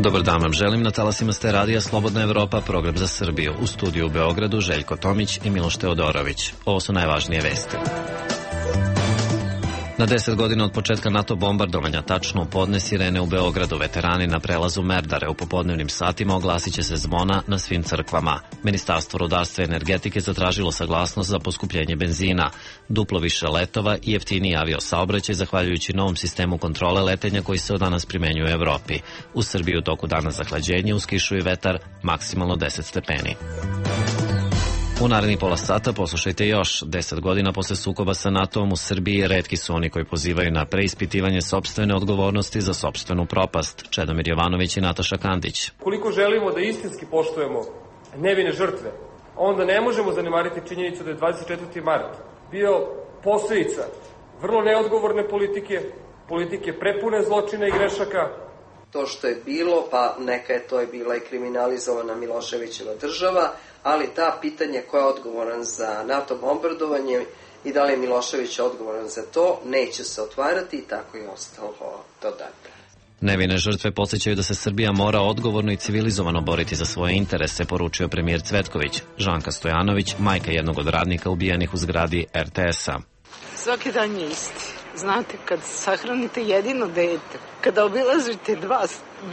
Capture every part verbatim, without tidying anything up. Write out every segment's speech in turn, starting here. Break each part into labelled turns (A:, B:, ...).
A: Dobar dan vam želim, na talasima ste radija Slobodna Evropa, program za Srbiju. U studiju u Beogradu Željko Tomić i Miloš Teodorović. Ovo su najvažnije vesti. Na deset godina od početka NATO bombardovanja, tačno u podne sirene u Beogradu, veterani na prelazu Merdare u popodnevnim satima oglasit će se zvona na svim crkvama. Ministarstvo rudarstva i energetike zatražilo saglasnost za poskupljenje benzina, duplo više letova i jeftiniji avio saobraćaj zahvaljujući novom sistemu kontrole letenja koji se od danas primenjuje u Evropi. U Srbiji u toku dana zahlađenje, uz kišu i vetar, maksimalno deset stepeni. U narednih pola sata poslušajte još. Deset godina posle sukoba sa NATO-om u Srbiji retki su oni koji pozivaju na preispitivanje sopstvene odgovornosti za sopstvenu propast. Čedomir Jovanović i Nataša Kandić.
B: Koliko želimo da istinski poštujemo nevine žrtve, onda ne možemo zanemariti činjenicu da je dvadeset četvrti mart bio posledica vrlo neodgovorne politike, politike prepune zločina i grešaka.
C: To što je bilo, pa neka je to je bila i kriminalizovana Miloševićeva država, ali ta pitanje ko je odgovoran za NATO bombardovanje i da li je Milošević odgovoran za to, neće se otvarati i tako je ostalo do dana.
A: Nevine žrtve podsjećaju da se Srbija mora odgovorno i civilizovano boriti za svoje interese, poručio premijer Cvetković. Žanka Stojanović, majka jednog od radnika ubijenih u zgradi er te es-a.
D: Svaki dan je isti. Znate, kad sahranite jedino dete, kada obilazite dva,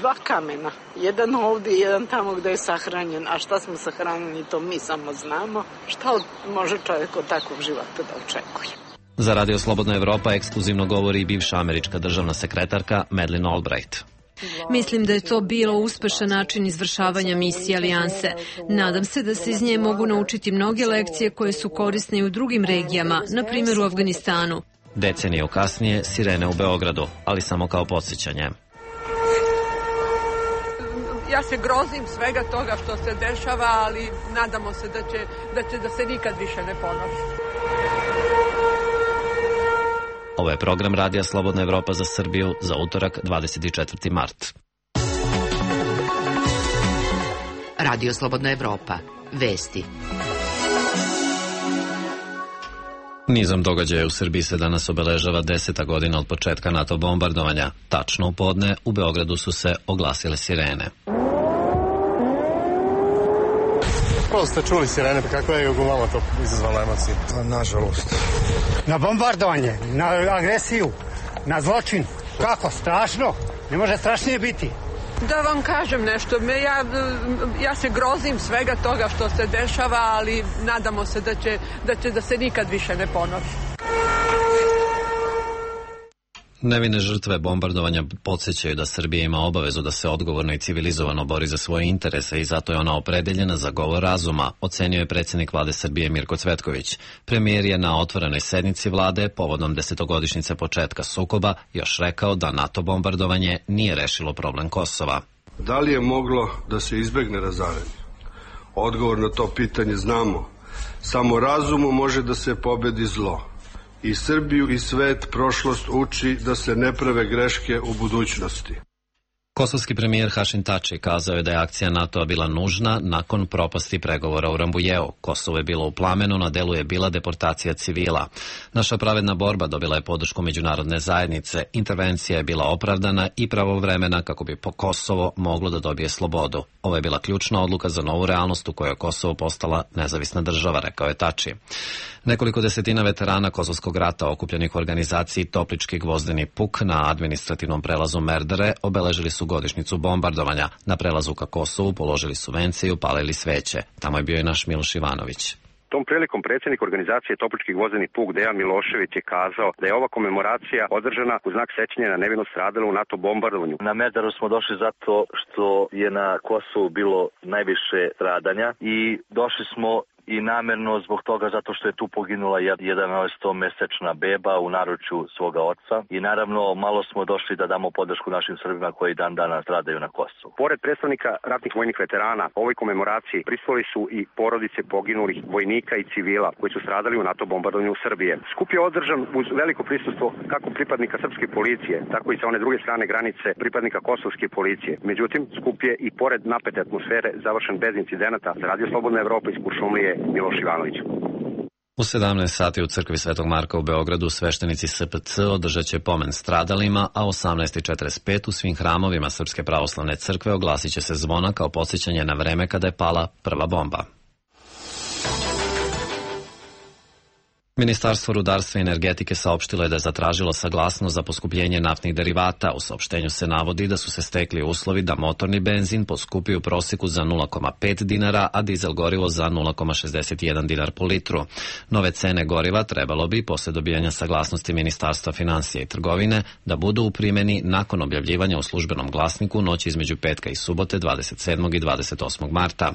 D: dva kamena, jedan ovdje i jedan tamo gde je sahranjen, a šta smo sahranjeni, to mi samo znamo, šta može čovjek od takvog života da očekuje.
A: Za Radio Slobodna Evropa ekskluzivno govori i bivša američka državna sekretarka Madeleine Albright.
E: Mislim da je to bilo uspešan način izvršavanja misije alijanse. Nadam se da se iz nje mogu naučiti mnoge lekcije koje su korisne i u drugim regijama, na primjer u Afganistanu.
A: Deceniju kasnije sirene u Beogradu, ali samo kao podsjećanje.
F: Ja se grozim svega toga što se dešava, ali nadamo se da će da, će, da se nikad više ne ponovi.
A: Ovo je program Radija Slobodna Evropa za Srbiju za utorak dvadeset četvrti mart.
G: Radio Slobodna Evropa. Vesti.
A: Nizom događaja u Srbiji se danas obeležava deseta godina od početka NATO bombardovanja. Tačno u podne u Beogradu su se oglasile sirene.
H: Prvo ste čuli sirene, pa kako je vama to izazvalo emocije?
I: Nažalost.
J: Na bombardovanje, na agresiju, na zločin. Kako? Strašno. Ne može strašnije biti.
F: Da vam kažem nešto, ja, ja se grozim svega toga što se dešava, ali nadamo se da će, da će da se nikad više ne ponovi.
A: Nevine žrtve bombardovanja podsjećaju da Srbija ima obavezu da se odgovorno i civilizovano bori za svoje interese i zato je ona opredeljena za govor razuma, ocenio je predsjednik vlade Srbije Mirko Cvetković. Premijer je na otvorenoj sednici vlade povodom desetogodišnjice početka sukoba još rekao da NATO bombardovanje nije rešilo problem Kosova.
K: Da li je moglo da se izbegne razaranje? Odgovor na to pitanje znamo. Samo razumom može da se pobedi zlo. I Srbiju i svet prošlost uči da se ne prave greške u budućnosti.
A: Kosovski premijer Hašim Tači kazao je da je akcija NATO-a bila nužna nakon propasti pregovora u Rambujeu. Kosovo je bilo u plamenu, na delu je bila deportacija civila. Naša pravedna borba dobila je podršku međunarodne zajednice. Intervencija je bila opravdana i pravovremena kako bi po Kosovo moglo da dobije slobodu. Ovo je bila ključna odluka za novu realnost u kojoj je Kosovo postala nezavisna država, rekao je Tači. Nekoliko desetina veterana Kosovskog rata okupljenih u organizaciji Toplički gvozdeni puk na administrativnom prelazu Merdare obeležili su godišnjicu bombardovanja. Na prelazu ka Kosovu položili su vence i upalili sveće. Tamo je bio i naš Miloš Ivanović.
L: Tom prilikom predsjednik organizacije Toplički gvozdeni puk Dejan Milošević je kazao da je ova komemoracija održana u znak sećanja na nevino stradalo u NATO bombardovanju.
M: Na Merdaru smo došli zato što je na Kosovu bilo najviše stradanja i došli smo i namerno zbog toga zato što je tu poginula jedanaestomesečna beba u naručju svoga oca i naravno malo smo došli da damo podršku našim Srbima koji dan danas stradaju na Kosovu.
L: Pored predstavnika ratnih vojnih veterana, ovoj komemoraciji prisustvovali su i porodice poginulih vojnika i civila koji su stradali u NATO bombardovanju Srbije. Skup je održan uz veliko prisustvo kako pripadnika srpske policije, tako i sa one druge strane granice pripadnika kosovske policije. Međutim, skup je i pored napete atmosfere završen bez incidenata. Za Radio Slobodna Evropa iz Kuršumlije, Miloš Ivanović.
A: U sedamnaest sati u crkvi Svetog Marka u Beogradu sveštenici S P C održat će pomen stradalima, a u osamnaest četrdeset pet u svim hramovima Srpske pravoslavne crkve oglasit će se zvona kao podsjećanje na vreme kada je pala prva bomba. Ministarstvo rudarstva i energetike saopštilo je da je zatražilo saglasnost za poskupljenje naftnih derivata. U saopštenju se navodi da su se stekli uslovi da motorni benzin poskupi u proseku za nula zarez pet dinara, a dizel gorivo za nula zarez šezdeset jedan dinar po litru. Nove cene goriva trebalo bi, posle dobijanja saglasnosti Ministarstva finansija i trgovine, da budu u primjeni nakon objavljivanja u službenom glasniku noći između petka i subote dvadeset sedmog i dvadeset osmog marta.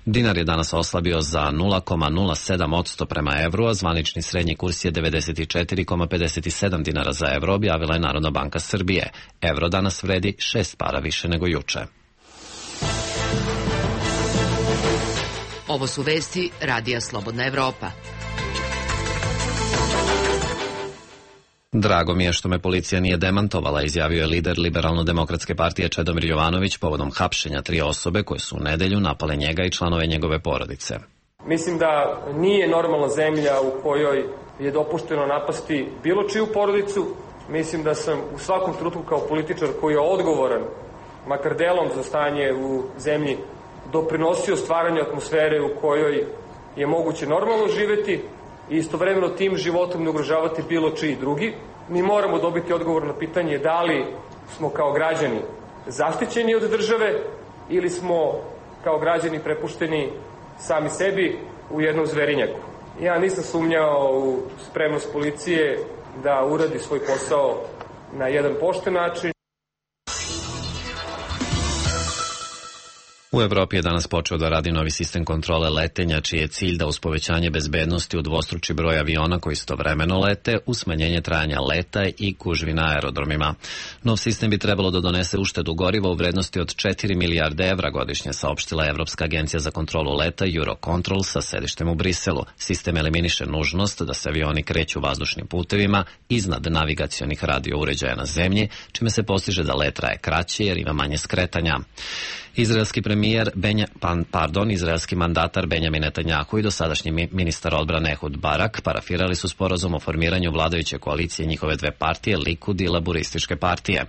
A: Dinar je danas oslabio za nula zarez nula sedam posto prema evru, a zvanični srednji kurs je devedeset četiri zarez pedeset sedam dinara za evro, objavila je Narodna banka Srbije. Evro danas vredi šest para više nego juče.
G: Ovo su vesti Radija Slobodna Evropa.
A: Drago mi je što me policija nije demantovala, izjavio je lider Liberalno-demokratske partije Čedomir Jovanović povodom hapšenja tri osobe koje su u nedelju napale njega i članove njegove porodice.
B: Mislim da nije normalna zemlja u kojoj je dopušteno napasti bilo čiju porodicu. Mislim da sam u svakom trenutku kao političar koji je odgovoran, makar delom za stanje u zemlji, doprinosio stvaranju atmosfere u kojoj je moguće normalno živeti i istovremeno tim životom ne ugrožavati bilo čiji drugi. Mi moramo dobiti odgovor na pitanje da li smo kao građani zaštićeni od države ili smo kao građani prepušteni sami sebi u jednom zverinjaku. Ja nisam sumnjao u spremnost policije da uradi svoj posao na jedan pošten način.
A: U Evropi je danas počeo da radi novi sistem kontrole letenja, čiji je cilj da uz povećanje bezbednosti udvostruči broj aviona koji istovremeno lete, uz smanjenje trajanja leta i gužvi na aerodromima. Nov sistem bi trebalo da donese uštedu goriva u vrednosti od četiri milijarde evra godišnje, saopštila Evropska agencija za kontrolu leta Eurocontrol sa sedištem u Briselu. Sistem eliminiše nužnost da se avioni kreću vazdušnim putevima iznad navigacionih radio uređaja na zemlji, čime se postiže da let traje kraće jer ima manje skretanja. Izraelski premijer Benja, pan, pardon, izraelski mandatar Benjamin Netanjahu i dosadašnji ministar odbrane Ehud Barak parafirali su sporazum o formiranju vladajuće koalicije njihove dve partije, Likud i Laburističke partije.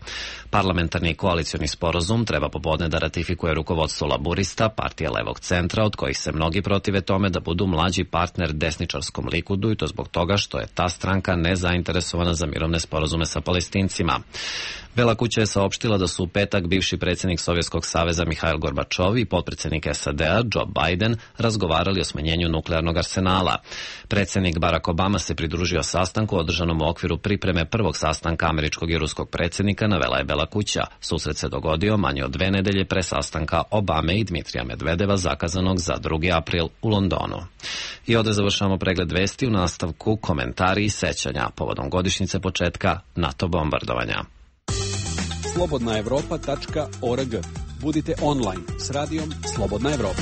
A: Parlamentarni koalicioni sporazum treba popodne da ratifikuje rukovodstvo Laburista, partije levog centra, od kojih se mnogi protive tome da budu mlađi partner desničarskom Likudu, i to zbog toga što je ta stranka nezainteresovana za mirovne sporazume sa Palestincima. Bela kuća je saopštila da su u petak bivši predsjednik Sovjetskog saveza Mihail Gorbačov i potpredsjednik S A D-a Joe Biden razgovarali o smanjenju nuklearnog arsenala. Predsjednik Barack Obama se pridružio sastanku održanom u okviru pripreme prvog sastanka američkog i ruskog predsjednika, navela je Bela kuća. Susret se dogodio manje od dve nedelje pre sastanka Obame i Dmitrija Medvedeva zakazanog za drugi april u Londonu. I ovdje završavamo pregled vesti, u nastavku komentari i sećanja povodom godišnjice početka NATO bombardovanja.
I: slobodna evropa tačka org. Budite online s radijom Slobodna Evropa.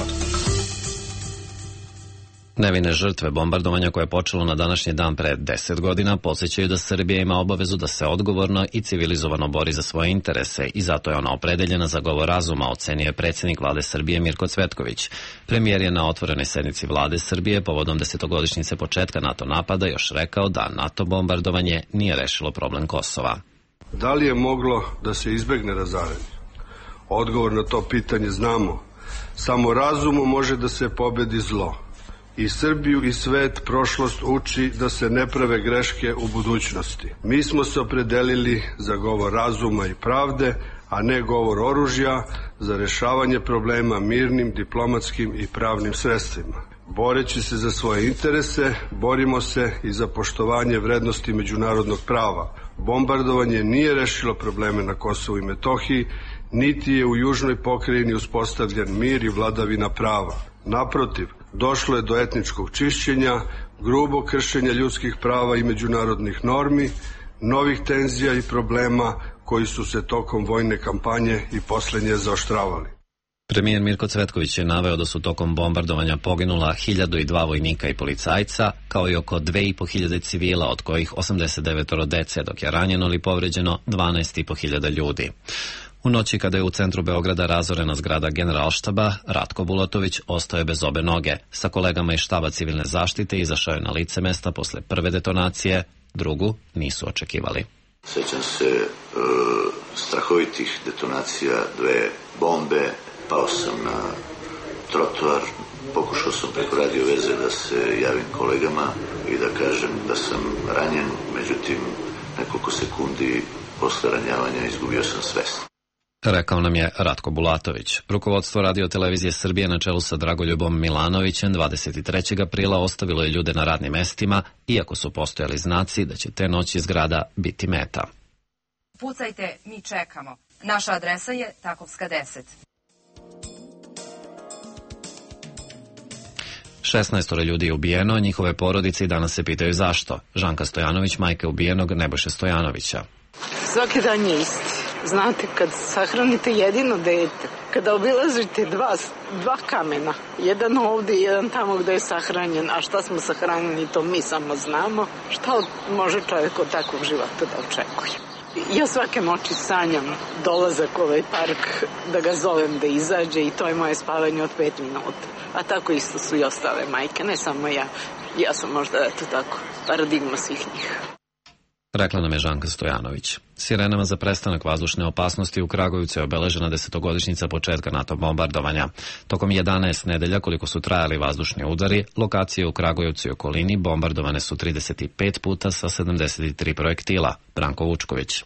A: Nevine žrtve bombardovanja koje je počelo na današnji dan pre deset godina podsjećaju da Srbija ima obavezu da se odgovorno i civilizovano bori za svoje interese i zato je ona opredeljena za govor razuma, ocenio je predsjednik vlade Srbije Mirko Cvetković. Premijer je na otvorenoj sednici vlade Srbije povodom desetogodišnjice početka NATO napada još rekao da NATO bombardovanje nije rešilo problem Kosova.
K: Da li je moglo da se izbegne razaranje? Odgovor na to pitanje znamo. Samo razumom može da se pobedi zlo. I Srbiju i svet prošlost uči da se ne prave greške u budućnosti. Mi smo se opredelili za govor razuma i pravde, a ne govor oružja, za rešavanje problema mirnim, diplomatskim i pravnim sredstvima. Boreći se za svoje interese, borimo se i za poštovanje vrednosti međunarodnog prava. Bombardovanje nije rešilo probleme na Kosovu i Metohiji, niti je u južnoj pokrajini uspostavljen mir i vladavina prava. Naprotiv, došlo je do etničkog čišćenja, grubog kršenja ljudskih prava i međunarodnih normi, novih tenzija i problema koji su se tokom vojne kampanje i poslednje zaoštravali.
A: Premijer Mirko Cvetković je naveo da su tokom bombardovanja poginula hiljadu i dva vojnika i policajca, kao i oko dve i po hiljade civila, od kojih osamdeset devet dece, dok je ranjeno ili povređeno dvanaest i po hiljada ljudi. U noći kada je u centru Beograda razorena zgrada Generalštaba, Ratko Bulatović ostao je bez obe noge. Sa kolegama iz štaba civilne zaštite izašao je na lice mesta posle prve detonacije, drugu nisu očekivali.
N: Sećam se e, strahovitih detonacija, dve bombe, pao sam na trotoar, pokušao sam preko radio veze da se javim kolegama i da kažem da sam ranjen, međutim nekoliko sekundi posle ranjavanja izgubio sam svest.
A: Rekao nam je Ratko Bulatović. Rukovodstvo Radio televizije Srbije na čelu sa Dragoljubom Milanovićem dvadeset trećeg aprila ostavilo je ljude na radnim mestima, iako su postojali znaci da će te noći zgrada biti meta.
O: Pucajte, mi čekamo. Naša adresa je Takovska deset.
A: šesnaestoro ljudi je ubijeno, njihove porodice i danas se pitaju zašto. Žanka Stojanović, majka ubijenog Nebojše Stojanovića.
D: Svaki dan je isti. Znate, kad sahranite jedino dete, kada obilazite dva, dva kamena, jedan ovde i jedan tamo gde je sahranjen, a šta smo sahranjeni, to mi samo znamo, šta može čovjek od takvog života da očekuje. Ja svake noći sanjam dolazak u ovaj park, da ga zovem da izađe i to je moje spavanje od pet minuta. A tako isto su i ostale majke, ne samo ja. Ja sam možda, eto tako, paradigma svih njih.
A: Rekla nam je Žanka Stojanović. Sirenama za prestanak vazdušne opasnosti u Kragujevcu je obeležena desetogodišnjica početka NATO bombardovanja. Tokom jedanaest nedelja, koliko su trajali vazdušni udari, lokacije u Kragujevcu i okolini bombardovane su trideset pet puta sa sedamdeset tri projektila. Branko Vučković.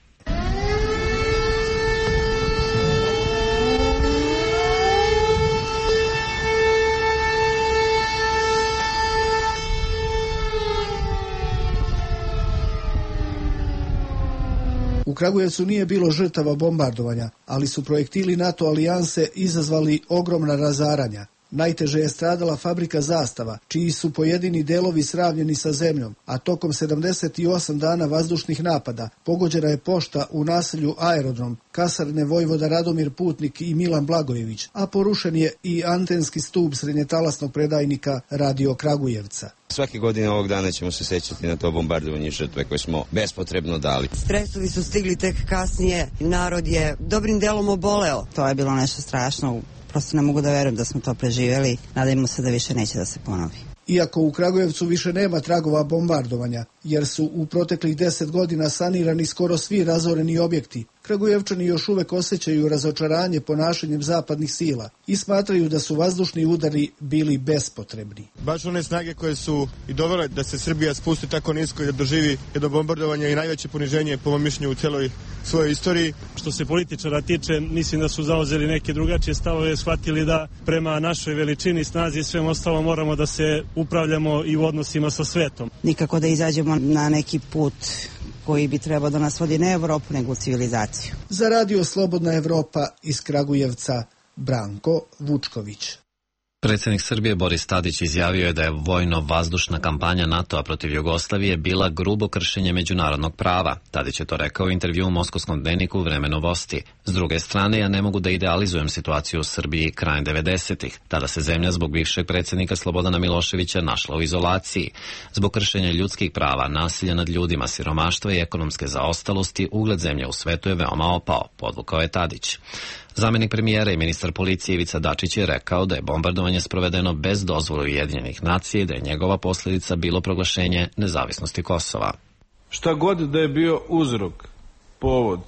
P: U Kragujevcu nije bilo žrtava bombardovanja, ali su projektili NATO alijanse izazvali ogromna razaranja. Najteže je stradala fabrika Zastava, čiji su pojedini delovi sravnjeni sa zemljom, a tokom sedamdeset osam dana vazdušnih napada pogođena je pošta u naselju Aerodrom, kasarne Vojvoda Radomir Putnik i Milan Blagojević, a porušen je i antenski stup srednjetalasnog predajnika Radio Kragujevca.
Q: Svake godine ovog dana ćemo se sećati na to bombardovanje žrtve koje smo bespotrebno dali.
R: Stresovi su stigli tek kasnije, narod je dobrim delom oboleo.
S: To je bilo nešto strašno, prosto ne mogu da verujem da smo to preživjeli, nadajmo se da više neće da se ponovi.
P: Iako u Kragujevcu više nema tragova bombardovanja, jer su u proteklih deset godina sanirani skoro svi razoreni objekti, Kragujevčani još uvek osjećaju razočaranje ponašanjem zapadnih sila i smatraju da su vazdušni udari bili bespotrebni.
T: Baš one snage koje su i dovele da se Srbija spusti tako nisko i da doživi jedno bombardovanje i najveće poniženje po mom mišljenju u celoj svojoj istoriji.
U: Što se političara tiče, mislim da su zauzeli neke drugačije stavove, shvatili da prema našoj veličini, snazi i svem ostalo moramo da se upravljamo i u odnosima sa svetom.
S: Nikako da izađemo na neki put koji bi trebao da nas vodi ne Evropu, nego u civilizaciju.
P: Za Radio Slobodna Evropa iz Kragujevca, Branko Vučković.
A: Predsjednik Srbije Boris Tadić izjavio je da je vojno-vazdušna kampanja NATO-a protiv Jugoslavije bila grubo kršenje međunarodnog prava. Tadić je to rekao u intervju u Moskovskom dnevniku Vreme novosti. S druge strane, ja ne mogu da idealizujem situaciju u Srbiji krajem devedesetih. Tada se zemlja zbog bivšeg predsjednika Slobodana Miloševića našla u izolaciji. Zbog kršenja ljudskih prava, nasilja nad ljudima, siromaštva i ekonomske zaostalosti, ugled zemlje u svetu je veoma opao, podvukao je Tadić. Zamenik premijera i ministar policije Ivica Dačić je rekao da je bombardovanje sprovedeno bez dozvole Ujedinjenih nacija i da je njegova posljedica bilo proglašenje nezavisnosti Kosova.
V: Šta god da je bio uzrok, povod,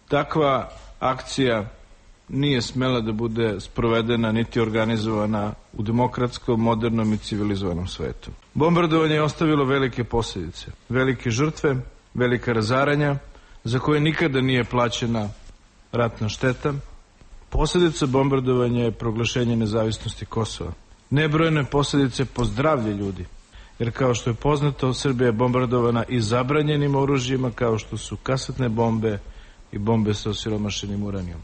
V: takva akcija nije smela da bude sprovedena niti organizovana u demokratskom, modernom i civilizovanom svetu. Bombardovanje je ostavilo velike posljedice, velike žrtve, velika razaranja, za koje nikada nije plaćena ratna šteta. Posljedica bombardovanja je proglašenje nezavisnosti Kosova. Nebrojene posljedice po zdravlje ljudi, jer kao što je poznato, Srbija je bombardovana i zabranjenim oružjima kao što su kasetne bombe i bombe sa osiromašenim uranijom.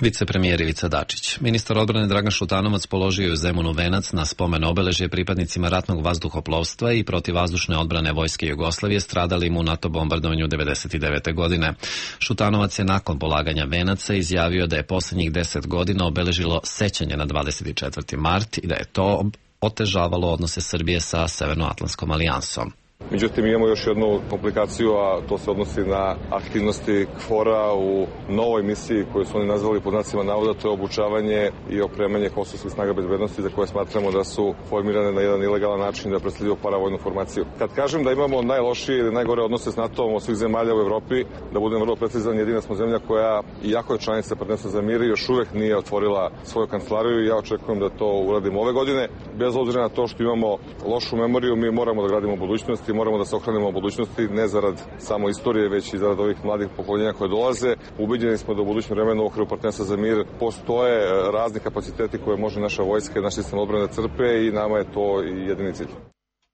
A: Vicepremijer Ivica Dačić. Ministar odbrane Dragan Šutanovac položio je u Zemunu venac na spomen obeležje pripadnicima ratnog vazduhoplovstva i protivvazdušne odbrane Vojske Jugoslavije stradalim u NATO bombardovanju devedeset devete. godine. Šutanovac je nakon polaganja venaca izjavio da je posljednjih deset godina obeležilo sećanje na dvadeset četvrti mart i da je to otežavalo odnose Srbije sa Severnoatlantskom alijansom.
C: Međutim, imamo još jednu komplikaciju, a to se odnosi na aktivnosti KFOR-a u novoj misiji koju su oni nazvali pod znacima navoda, to je obučavanje i opremanje kosovskih snaga bezbednosti za koje smatramo da su formirane na jedan ilegalan način da predstavljaju paravojnu formaciju. Kad kažem da imamo najlošije ili najgore odnose s NATO-om od svih zemalja u Evropi, da budem vrlo precizan, jedina smo zemlja koja, iako je članica Partnerstva za mir, još uvek nije otvorila svoju kancelariju i ja očekujem da to uradimo ove godine. Bez obzira na to što imamo lošu memoriju, mi moramo da gradimo budućnosti, moramo da se ohranimo u budućnosti, ne zarad samo istorije, već i zarad ovih mladih pokoljenja koje dolaze. Ubeđeni smo da u budućem vremenu u okviru Partnerstva za mir postoje razni kapaciteti koje može naša vojska i naš sistem odbrane da crpe i nama je to i jedini cilj.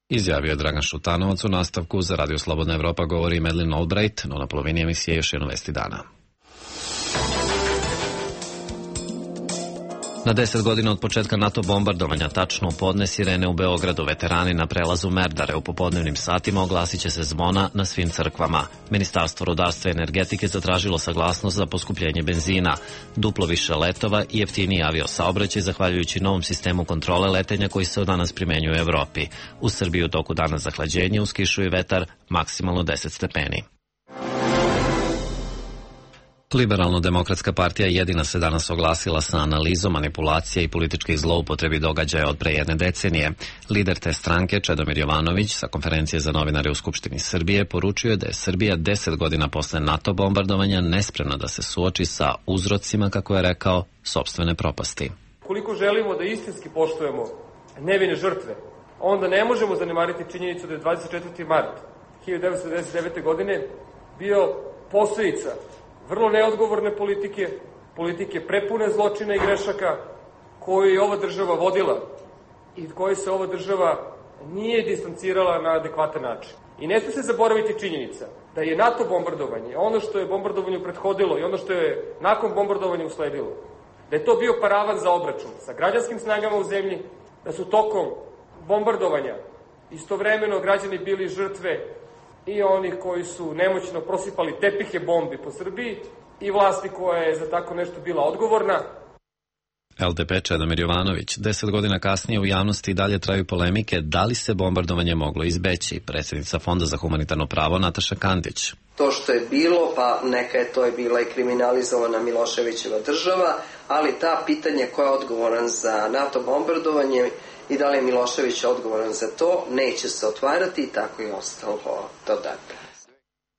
A: Izjavio je Dragan Šutanovac. U nastavku za Radio Slobodna Evropa govori Madeleine Albright, no na polovini emisije još jedno vesti dana. Na deset godina od početka NATO bombardovanja, tačno u podne, sirene u Beogradu, veterani na prelazu Merdare u popodnevnim satima oglasit će se zvona na svim crkvama. Ministarstvo rudarstva i energetike zatražilo saglasnost za poskupljenje benzina, duplo više letova i jeftiniji avio saobraćaj zahvaljujući novom sistemu kontrole letenja koji se od danas primenjuje u Evropi. U Srbiji u toku dana zahlađenje, uz kišu i vetar, maksimalno deset stepeni. Liberalno-demokratska partija jedina se danas oglasila sa analizom manipulacija i političkih zloupotrebi događaja od pre jedne decenije. Lider te stranke, Čedomir Jovanović, sa konferencije za novinare u Skupštini Srbije, poručio je da je Srbija deset godina posle NATO bombardovanja nespremna da se suoči sa uzrocima, kako je rekao, sopstvene propasti.
B: Koliko želimo da istinski poštujemo nevine žrtve, onda ne možemo zanemariti činjenicu da je dvadeset četvrti mart hiljadu devetsto devedeset devete. godine bio posledica vrlo neodgovorne politike, politike prepune zločina i grešaka koju je ova država vodila i koje se ova država nije distancirala na adekvatan način. I ne smije se zaboraviti činjenica da je NATO bombardovanje, ono što je bombardovanju prethodilo i ono što je nakon bombardovanja usledilo, da je to bio paravan za obračun sa građanskim snagama u zemlji, da su tokom bombardovanja istovremeno građani bili žrtve i oni koji su nemoćno prosipali tepihe bombi po Srbiji i vlasti koja je za tako nešto bila odgovorna.
A: L D P Čedomir Jovanović. Deset godina kasnije u javnosti dalje traju polemike da li se bombardovanje moglo izbeći. Predsjednica Fonda za humanitarno pravo Nataša Kandić.
E: To što je bilo, pa neka je to je bila i kriminalizovana Miloševićeva država, ali ta pitanje ko je odgovoran za NATO bombardovanje i da li je Milošević odgovoran za to, neće se otvarati i tako je ostalo do dana.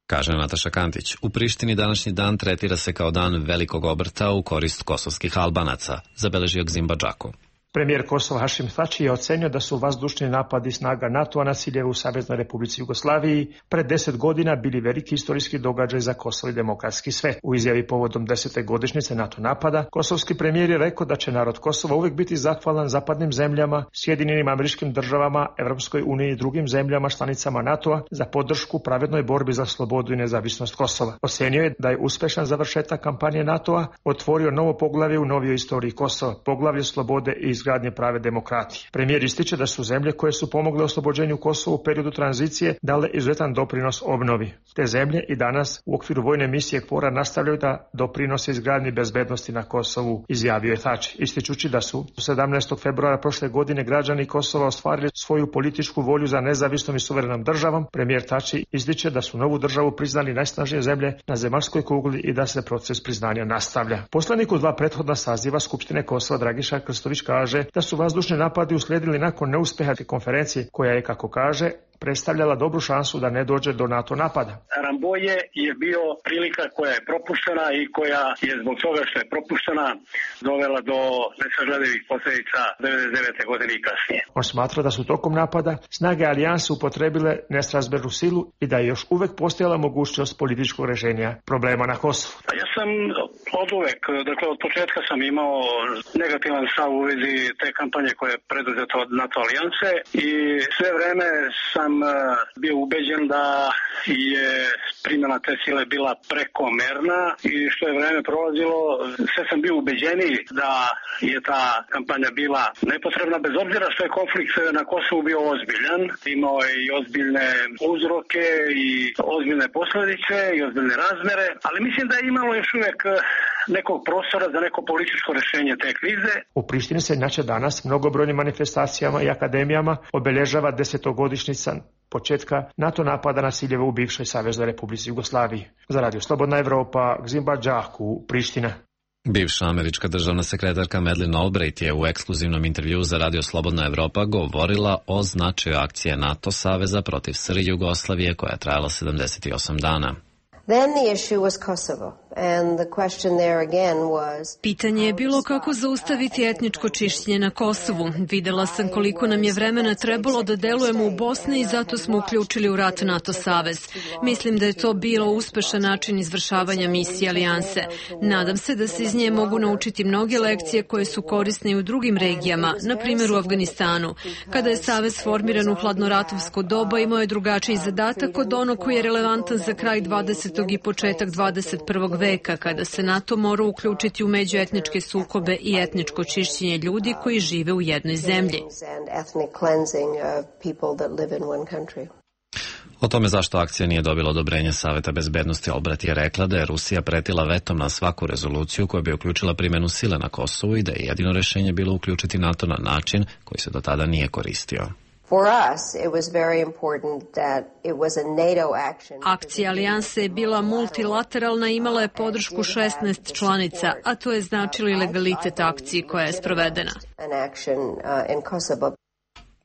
A: Kaže Nataša Kandić. U Prištini današnji dan tretira se kao dan velikog obrta u korist kosovskih Albanaca, zabeležio Gzim Badžako.
W: Premijer Kosova Hašim Tači je ocenio da su vazdušni napadi snaga NATO-a na ciljeve u Saveznoj Republici Jugoslaviji pred deset godina bili veliki istorijski događaj za Kosovo i demokratski svet. U izjavi povodom desete godišnjice NATO napada, kosovski premijer je rekao da će narod Kosova uvek biti zahvalan zapadnim zemljama, Sjedinjenim Američkim Državama, Evropskoj uniji i drugim zemljama članicama NATO-a za podršku pravednoj borbi za slobodu i nezavisnost Kosova. Ocenio je da je uspešan završetak kampanje NATO-a otvorio novo poglavlje u novijoj istoriji Kosova, poglavlje slobode i izgradnje prave demokratije. Premijer ističe da su zemlje koje su pomogle oslobođenju Kosova u periodu tranzicije dale izuzetan doprinos obnovi. Te zemlje i danas u okviru vojne misije KFOR-a nastavljaju da doprinose izgradnji bezbednosti na Kosovu, izjavio je Tači, ističući da su sedamnaestog februara prošle godine građani Kosova ostvarili svoju političku volju za nezavisnom i suverenom državom. Premijer Tači ističe da su novu državu priznali najsnažnije zemlje na zemaljskoj kugli i da se proces priznanja nastavlja. Poslanik u dva prethodna saziva Skupštine Kosova Dragiša Krstović kaže da su vazdušni napadi uslijedili nakon neuspeha konferencije koja je, kako kaže, predstavljala dobru šansu da ne dođe do NATO napada.
X: Ramboje je bio prilika koja je propuštena i koja je zbog toga što je propuštena dovela do nesagledivih posljedica devedeset devete. godine i kasnije.
W: On smatra da su tokom napada snage alijanse upotrebile nesrazmjernu silu i da je još uvek postojala mogućnost političkog rešenja problema na Kosovu.
X: Ja sam od uvek, dakle od početka sam imao negativan stav u vezi te kampanje koje je preduzeta od NATO alijanse i sve vreme sam bio ubeđen da je primjena te sile bila prekomerna i što je vreme prolazilo, sve sam bio ubeđeniji da je ta kampanja bila nepotrebna, bez obzira što je konflikt na Kosovu bio ozbiljan. Imao je i ozbiljne uzroke i ozbiljne posljedice i ozbiljne razmere, ali mislim da je imalo još uvijek nekog prostora za neko političko rešenje te krize.
W: U Prištini se inače danas mnogobrojnim manifestacijama i akademijama obeležava desetogodišnjica početka NATO napada na ciljeve u bivšoj Saveznoj Republici Jugoslaviji. Za Radio Slobodna Evropa, Gzimba Đaku, Priština.
A: Bivša američka državna sekretarka Madeleine Albright je u ekskluzivnom intervjuu za Radio Slobodna Evropa govorila o značaju akcije NATO saveza protiv S R Jugoslavije koja je trajala sedamdeset osam dana.
F: Then the issue was Kosovo, and the question there again was...
H: Pitanje je bilo kako zaustaviti etničko čišćenje na Kosovu. Videla sam koliko nam je vremena trebalo da delujemo u Bosni i zato smo uključili u rat NATO savez. Mislim da je to bilo uspešan način izvršavanja misije alijanse. Nadam se da se iz nje mogu naučiti mnoge lekcije koje su korisne i u drugim regijama, na primjer u Afganistanu. Kada je savez formiran u hladnoratovsko doba, imao je drugačiji zadatak od onog koji je relevantan za kraj dvadesetog i početak dvadeset prvog veka, kada se NATO mora uključiti u međuetničke sukobe i etničko čišćenje ljudi koji žive u jednoj zemlji.
A: O tome zašto akcija nije dobila odobrenje Saveta bezbednosti, Albright je rekla da je Rusija pretila vetom na svaku rezoluciju koja bi uključila primjenu sile na Kosovu i da je jedino rešenje bilo uključiti NATO na način koji se do tada nije koristio.
H: Akcija alijanse je bila multilateralna i imala je podršku šesnaest članica, a to je značilo i legalitet akcije koja je sprovedena.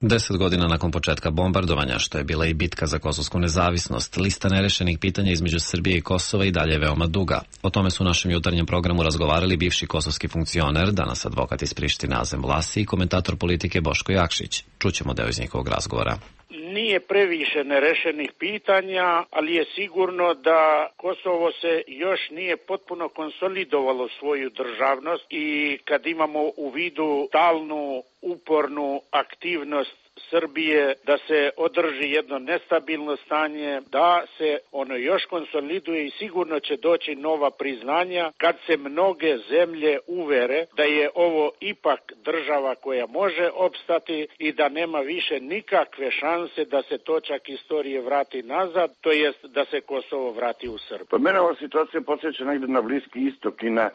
A: Deset godina nakon početka bombardovanja, što je bila i bitka za kosovsku nezavisnost, lista nerešenih pitanja između Srbije i Kosova i dalje je veoma duga. O tome su u našem jutarnjem programu razgovarali bivši kosovski funkcioner, danas advokat iz Prištine Azem Vlasi i komentator politike Boško Jakšić. Čućemo deo iz njihovog razgovora.
J: Nije previše nerešenih pitanja, ali je sigurno da Kosovo se još nije potpuno konsolidovalo svoju državnost i kad imamo u vidu stalnu, upornu aktivnost Srbije da se održi jedno nestabilno stanje, da se ono još konsoliduje i sigurno će doći nova priznanja kad se mnoge zemlje uvere da je ovo ipak država koja može opstati i da nema više nikakve šanse da se točak istorije vrati nazad, to jest da se Kosovo vrati u Srbiju.
M: Pa mene ova situacija podsjeća negde na Bliski istok i na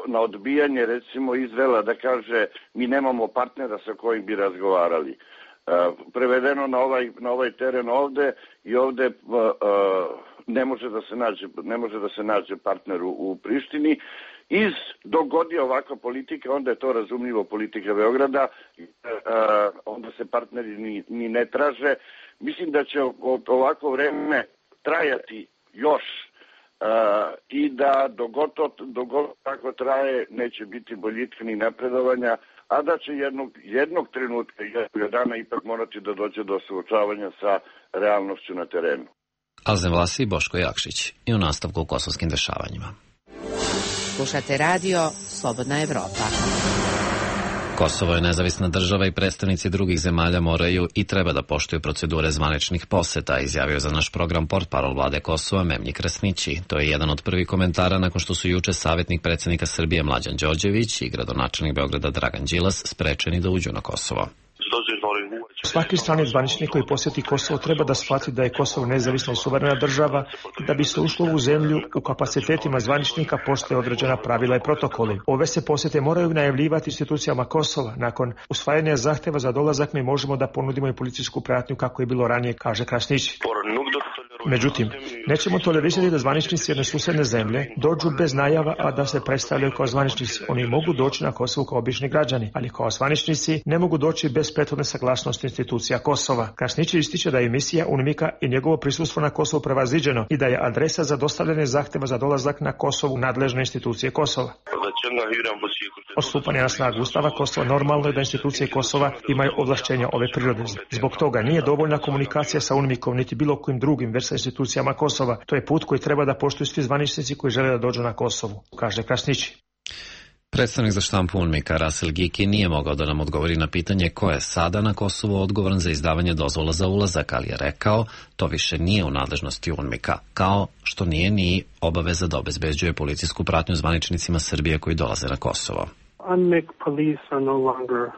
M: na odbijanje recimo Izraela da kaže mi nemamo partnera sa kojim bi razgovarali. Prevedeno na ovaj, na ovaj teren ovde i ovde ne može da se nađe, ne može da se nađe partner u, u Prištini. Iz dogodi ovakva politika, onda je to razumljivo politika Beograda, onda se partneri ni, ni ne traže. Mislim da će ovakvo vreme trajati još Uh, i da dogod, dogod tako traje neće biti boljitka ni napredovanja, a da će jednog, jednog trenutka i jednog dana ipak morati da dođe do suočavanja sa realnošću na terenu.
A: Azem Vlasi i Boško Jakšić i u nastavku u kosovskim dešavanjima.
G: Slušate radio Slobodna Evropa.
A: Kosovo je nezavisna država i predstavnici drugih zemalja moraju i treba da poštuju procedure zvaničnih poseta, izjavio za naš program portparol vlade Kosova Memnji Krasnići. To je jedan od prvih komentara nakon što su juče savjetnik predsjednika Srbije Mlađan Đorđević i gradonačelnik Beograda Dragan Đilas sprečeni da uđu na Kosovo.
W: Svaki strani zvaničnik koji posjeti Kosovo treba da shvati da je Kosovo nezavisna i suverena država i da bi se ušlo u zemlju u kapacitetima zvaničnika postoje određena pravila i protokoli. Ove se posjete moraju najavljivati institucijama Kosova. Nakon usvajanja zahteva za dolazak mi možemo da ponudimo i policijsku pratnju kako je bilo ranije, kaže Krasnić. Međutim, nećemo tolerirati da zvaničnici jedne susedne zemlje dođu bez najava, a da se predstavljaju kao zvaničnici. Oni mogu doći na Kosovo kao obični građani, ali kao zvaničnici ne mogu doći bez prethodne saglasnosti institucija Kosova. Krasnić ističe da je misija UNMIK-a i njegovo prisustvo na Kosovu prevaziđeno i da je adresa za dostavljanje zahteva za dolazak na Kosovu nadležne institucije Kosova. Od stupanja na snagu Ustava Kosova normalno je da institucije Kosova imaju ovlašćenja ove prirode. Zbog toga nije dovoljna komunikacija sa UNMIK-om niti bilo kojim drugim već sa institucijama Kosova. To je put koji treba da poštuju svi zvaničnici koji žele da dođu na Kosovu, kaže Krasnić.
A: Predstavnik za štampu UNMIK-a Rasel Giki nije mogao da nam odgovori na pitanje ko je sada na Kosovu odgovoran za izdavanje dozvola za ulazak, ali je rekao to više nije u nadležnosti UNMIK-a, kao što nije ni obaveza da obezbeđuje policijsku pratnju zvaničnicima Srbije koji dolaze na Kosovo.
Y: UNMIK police are no longer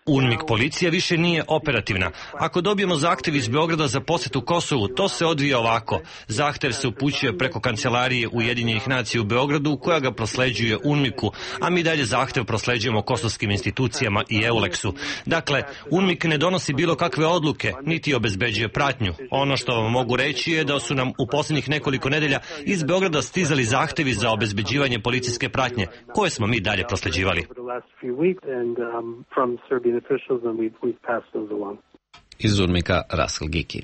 I: UNMIK policija više nije operativna. Ako dobijemo zahtev iz Beograda za posetu Kosovu, to se odvija ovako. Zahtev se upućuje preko kancelarije Ujedinjenih nacija u Beogradu, koja ga prosleđuje UNMIK-u, a mi dalje zahtev prosleđujemo kosovskim institucijama i EULEX-u. Dakle, UNMIK ne donosi bilo kakve odluke, niti obezbeđuje pratnju. Ono što vam mogu reći je da su nam u posljednjih nekoliko nedelja iz Beograda stizali zahtevi za obezbeđivanje policijske pratnje, koje smo mi dalje prosleđivali.
A: Iz UNMIK-a Raskal Giki.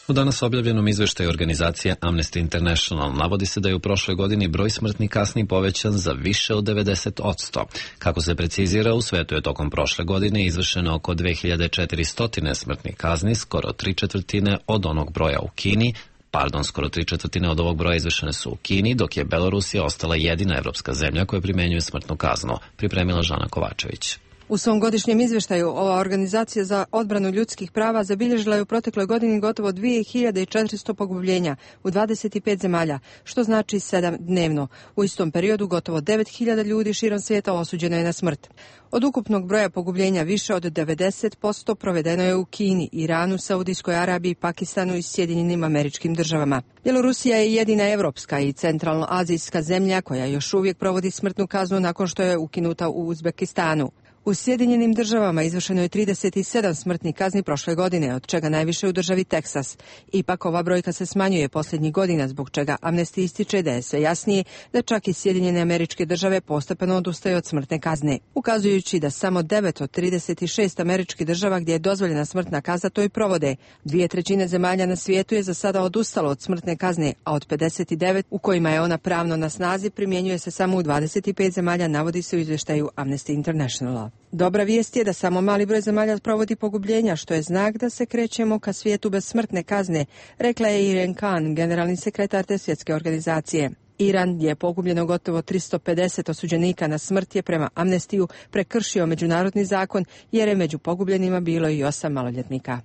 A: U danas objavljenom izveštaju organizacije Amnesty International navodi se da je u prošloj godini broj smrtnih kazni povećan za više od devedeset posto. Kako se precizira, u svetu je tokom prošle godine izvršeno oko dve hiljade četiristo smrtnih kazni, skoro tri četvrtine od onog broja u Kini, Pardon, skoro tri četvrtine od ovog broja izvršene su u Kini, dok je Belorusija ostala jedina evropska zemlja koja primenjuje smrtnu kaznu, pripremila Žana Kovačević.
K: U svom godišnjem izveštaju ova organizacija za odbranu ljudskih prava zabilježila je u protekloj godini gotovo dve hiljade četiristo pogubljenja u dvadeset pet zemalja, što znači sedam dnevno. U istom periodu gotovo devet hiljada ljudi širom svijeta osuđeno je na smrt. Od ukupnog broja pogubljenja više od devedeset posto provedeno je u Kini, Iranu, Saudijskoj Arabiji, Pakistanu i Sjedinjenim Američkim Državama. Bjelorusija je jedina evropska i centralnoazijska zemlja koja još uvijek provodi smrtnu kaznu nakon što je ukinuta u Uzbekistanu. U Sjedinjenim Državama izvršeno je trideset sedam smrtnih kazni prošle godine, od čega najviše u državi Teksas. Ipak ova brojka se smanjuje posljednjih godina, zbog čega Amnesty ističe da je sve jasnije da čak i Sjedinjene Američke Države postepeno odustaju od smrtne kazne, ukazujući da samo devet od trideset šest američkih država gdje je dozvoljena smrtna kazna to i provode. Dvije trećine zemalja na svijetu je za sada odustalo od smrtne kazne, a od pedeset devet u kojima je ona pravno na snazi primjenjuje se samo u dvadeset pet zemalja, navodi se u izvještaju Amnesty Internationala. Dobra vijest je da samo mali broj zemalja provodi pogubljenja, što je znak da se krećemo ka svijetu bez smrtne kazne, rekla je Irene Khan, generalni sekretar te svjetske organizacije. Iran je pogubljeno gotovo tristo pedeset osuđenika na smrt je prema Amnestiju prekršio međunarodni zakon, jer je među pogubljenima bilo i osam maloljetnika.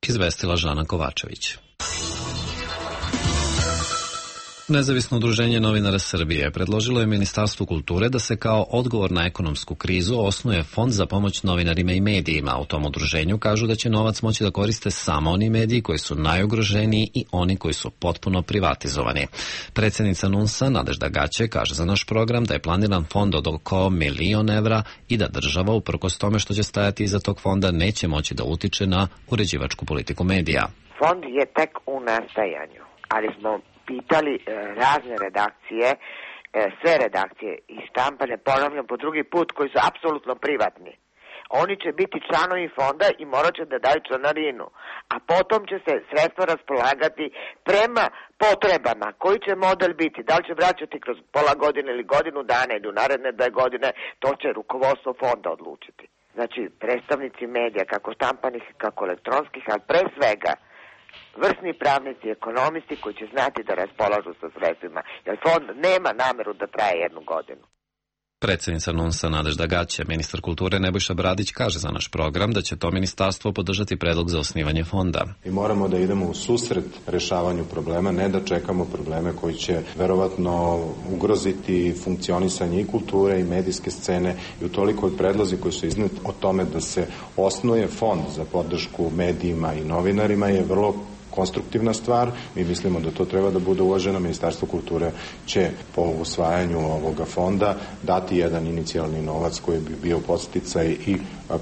A: Izvestila Žana Kovačević. Nezavisno udruženje novinara Srbije predložilo je Ministarstvu kulture da se kao odgovor na ekonomsku krizu osnuje fond za pomoć novinarima i medijima. U tom udruženju kažu da će novac moći da koriste samo oni mediji koji su najugroženiji i oni koji su potpuno privatizovani. Predsjednica NUNS-a Nadežda Gaće kaže za naš program da je planiran fond od oko milion evra i da država, uprkos tome što će stajati iza tog fonda, neće moći da utiče na uređivačku politiku medija.
L: Fond je tek u nastajanju, ali smo pitali e, razne redakcije, e, sve redakcije i štampane, ponavljam po drugi put, koji su apsolutno privatni. Oni će biti članovi fonda i morat će da daju članarinu, a potom će se sredstva raspolagati prema potrebama. Koji će model biti? Da li će vraćati kroz pola godine ili godinu dana ili u naredne dve godine, to će rukovodstvo fonda odlučiti. Znači, predstavnici medija, kako štampanih, kako elektronskih, ali pre svega vrsni pravnici, ekonomisti koji će znati da raspolažu sa sredstvima, jer fond nema nameru da traje jednu godinu.
A: Predsjednica NUNS-a Nadežda Gaće, ministar kulture Nebojša Bradić kaže za naš program da će to ministarstvo podržati predlog za osnivanje fonda.
N: I moramo da idemo u susret rešavanju problema, ne da čekamo probleme koji će verovatno ugroziti funkcionisanje i kulture i medijske scene, i utoliko od predlozi koji su izneti o tome da se osnuje fond za podršku medijima i novinarima je vrlo konstruktivna stvar. Mi mislimo da to treba da bude uvaženo. Ministarstvo kulture će po usvajanju ovoga fonda dati jedan inicijalni novac koji bi bio podsticaj i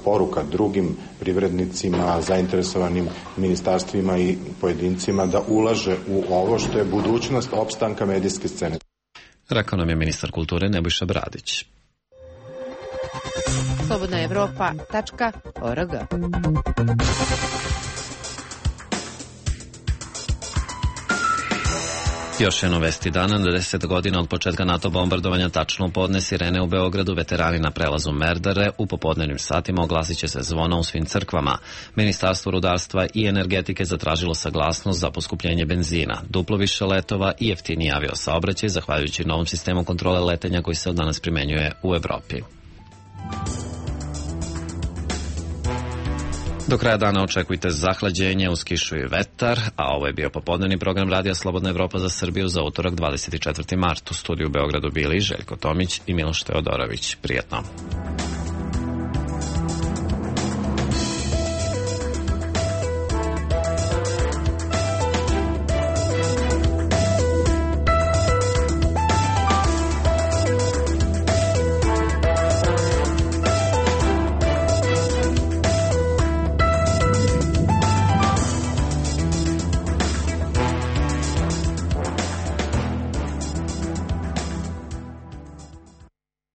N: poruka drugim privrednicima, zainteresovanim ministarstvima i pojedincima da ulaže u ovo što je budućnost opstanka medijske scene.
A: Rekao nam je ministar kulture Nebojša Bradić.
G: slobodna evropa tačka org.
A: Još jedno vesti dana, na deset godina od početka NATO bombardovanja, tačno u podne sirene u Beogradu, veterani na prelazu Merdare u popodnevnim satima oglasit će se zvona u svim crkvama. Ministarstvo rudarstva i energetike zatražilo saglasnost za poskupljenje benzina, duplo više letova i jeftiniji aviosaobraćaj zahvaljujući novom sistemu kontrole letenja koji se od danas primenjuje u Evropi. Do kraja dana očekujte zahlađenje uz kišu i vetar, a ovo je bio popodnevni program Radija Slobodna Evropa za Srbiju za utorak dvadeset četvrti mart. U studiju u Beogradu bili Željko Tomić i Miloš Teodorović. Prijetno.